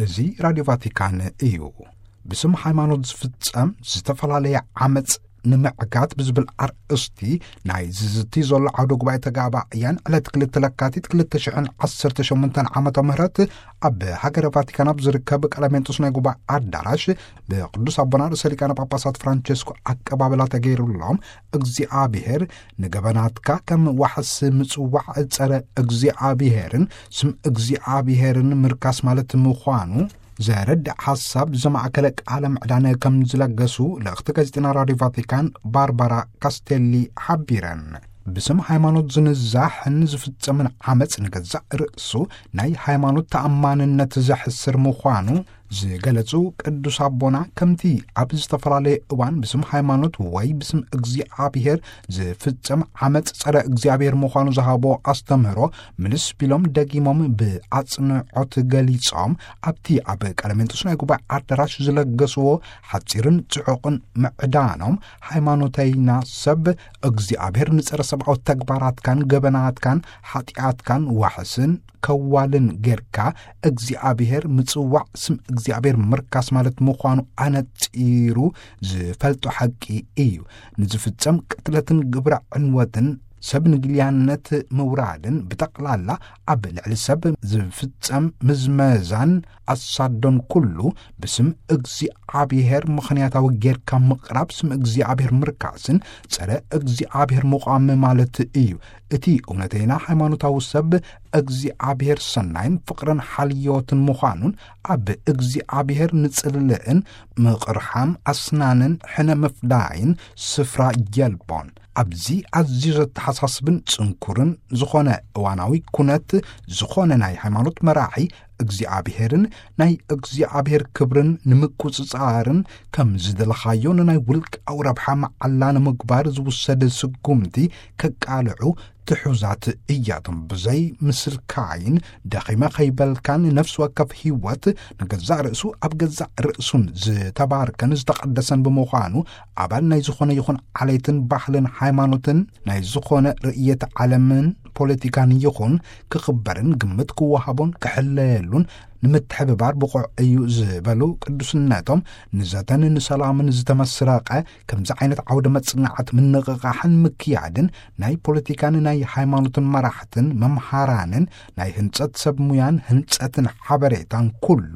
እዚ ራድዮ ቫቲካን እዩ። ብስም ሃይማኖት ዝፍጸም ዝተፈላለየ ዓመጽ ንምዕጋት ብዝብል ኣርእስቲ ናይ ዝዝቲ ዘሎ ዓውደ ጉባኤ ተጋባእያን ዕለት ክልተ ለካቲት ክልተ ሽሕን ዓሰርተ ሸሞንተን ዓመተ ምህረት ኣብ ሃገረ ቫቲካን ኣብ ዝርከብ ቀለሜንጦስ ናይ ጉባኤ ኣዳራሽ ብቅዱስ ኣቦና ርእሰ ሊቃነ ጳጳሳት ፍራንቸስኮ ኣቀባበላ ተገይሩሎም፣ እግዚኣብሔር ንገበናትካ ከም ዋሕስ ምጽዋዕ ጸረ እግዚኣብሔርን ስም እግዚኣብሔርን ምርካስ ማለት ምዃኑ ዘረድእ ሓሳብ ዘማእከለ ቃለ ምዕዳን ከም ዝለገሱ ልእኽቲ ጋዜጠና ራድዮ ቫቲካን ባርባራ ካስቴሊ ሓቢረን። ብስም ሃይማኖት ዝንዛሕን ዝፍጸምን ዓመጽ ንገዛእ ርእሱ ናይ ሃይማኖት ተኣማንነት ዘሕስር ምዃኑ ዝገለጹ ቅዱስ ኣቦና፣ ከምቲ ኣብ ዝተፈላለየ እዋን ብስም ሃይማኖት ወይ ብስም እግዚኣብሔር ዝፍጸም ዓመጽ ጸረ እግዚኣብሔር ምዃኑ ዝሃቦ ኣስተምህሮ ምልስ ቢሎም ደጊሞም ብኣጽንዖት ገሊጾም፣ ኣብቲ ኣብ ቀለሜንጦስ ናይ ጉባኤ ኣዳራሽ ዝለገስዎ ሓጺርን ጽዑቕን ምዕዳኖም፣ ሃይማኖተይና ሰብ እግዚኣብሔር ንጸረ ሰብኣዊ ተግባራትካን ገበናትካን ሓጢኣትካን ዋሕስን ከዋልን ጌርካ እግዚኣብሔር ምጽዋዕ ስም እግዚኣብሔር ምርካስ ማለት ምዃኑ ኣነጺሩ ዝፈልጦ ሓቂ እዩ። ንዝፍጸም ቅትለትን ግብረ ዕንወትን ሰብ ንግልያነት ምውራድን ብጠቕላላ ኣብ ልዕሊ ሰብ ዝፍጸም ምዝመዛን ኣሳዶን ኩሉ ብስም እግዚኣብሔር ምኽንያታዊ ጌርካ ምቕራብ ስም እግዚኣብሔር ምርካስን ጸረ እግዚኣብሔር ምቋም ማለት እዩ። እቲ እውነተይና ሃይማኖታዊ ሰብ እግዚኣብሔር ሰናይን ፍቕርን ሓልዮትን ምዃኑን ኣብ እግዚኣብሔር ንጽልእን ምቕርሓም ኣስናንን ሕነ ምፍዳይን ስፍራ የልቦን። ኣብዚ ኣዝዩ ዘተሓሳስብን ጽንኩርን ዝኾነ እዋናዊ ኩነት፣ ዝኾነ ናይ ሃይማኖት መራሒ እግዚኣብሔርን ናይ እግዚኣብሔር ክብርን ንምቁጽጻርን ከም ዝደለኻዮ ንናይ ውልቃዊ ረብሓ መዓላ ንምግባር ዝውሰድ ስጉምቲ ከቃልዑ ትሑዛት እያቶም። ብዘይ ምስልካይን ደኺመ ከይበልካን ነፍሲ ወከፍ ህይወት ንገዛእ ርእሱ ኣብ ገዛእ ርእሱን ዝተባርከን ዝተቐደሰን ብምዃኑ ኣባል ናይ ዝኾነ ይኹን ዓሌትን ባህልን ሃይማኖትን ናይ ዝኾነ ርእየት ዓለምን ፖለቲካን ይኹን ክኽበርን ግምት ክወሃቦን ክሕለየሉን ንምትሕብባር ብቑዕ እዩ ዝበሉ ቅዱስነቶም፣ ንዘተን ንሰላምን ዝተመስረቐ ከምዚ ዓይነት ዓውደ መጽናዕት ምንቕቓሕን ምክያድን ናይ ፖለቲካን ናይ ሃይማኖትን መራሕትን መምሃራንን ናይ ህንጸት ሰብ ሙያን ህንጸትን ሓበሬታን ኩሉ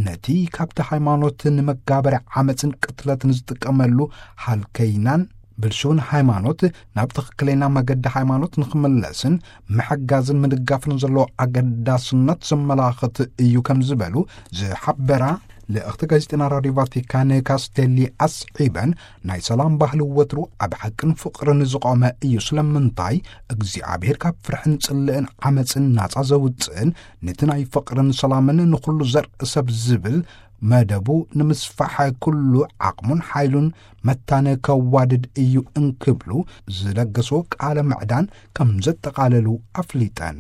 ነቲ ካብቲ ሃይማኖት ንመጋበሪ ዓመጽን ቅትለትን ዝጥቀመሉ ሃልከይናን ብልሽውን ሃይማኖት ናብ ትኽክለኛ መገዲ ሃይማኖት ንኽምለስን ምሕጋዝን ምድጋፍን ዘለዎ ኣገዳስነት ዘመላኽት እዩ ከም ዝበሉ ዝሓበራ ልእኽቲ ጋዜጠና ራድዮ ቫቲካን ካስቴሊ ኣስዒበን፣ ናይ ሰላም ባህሊ ወትሩ ኣብ ሓቅን ፍቕርን ዝቖመ እዩ። ስለምንታይ እግዚኣብሔር ካብ ፍርሕን ጽልእን ዓመጽን ናጻ ዘውጽእን ነቲ ናይ ፍቕርን ሰላምን ንኹሉ ዘርኢ ሰብ ዝብል መደቡ ንምስፋሕ ኩሉ ዓቕሙን ሓይሉን መታነ ከዋድድ እዩ እንክብሉ ዝለገስዎ ቃለ ምዕዳን ከም ዘጠቓለሉ ኣፍሊጠን።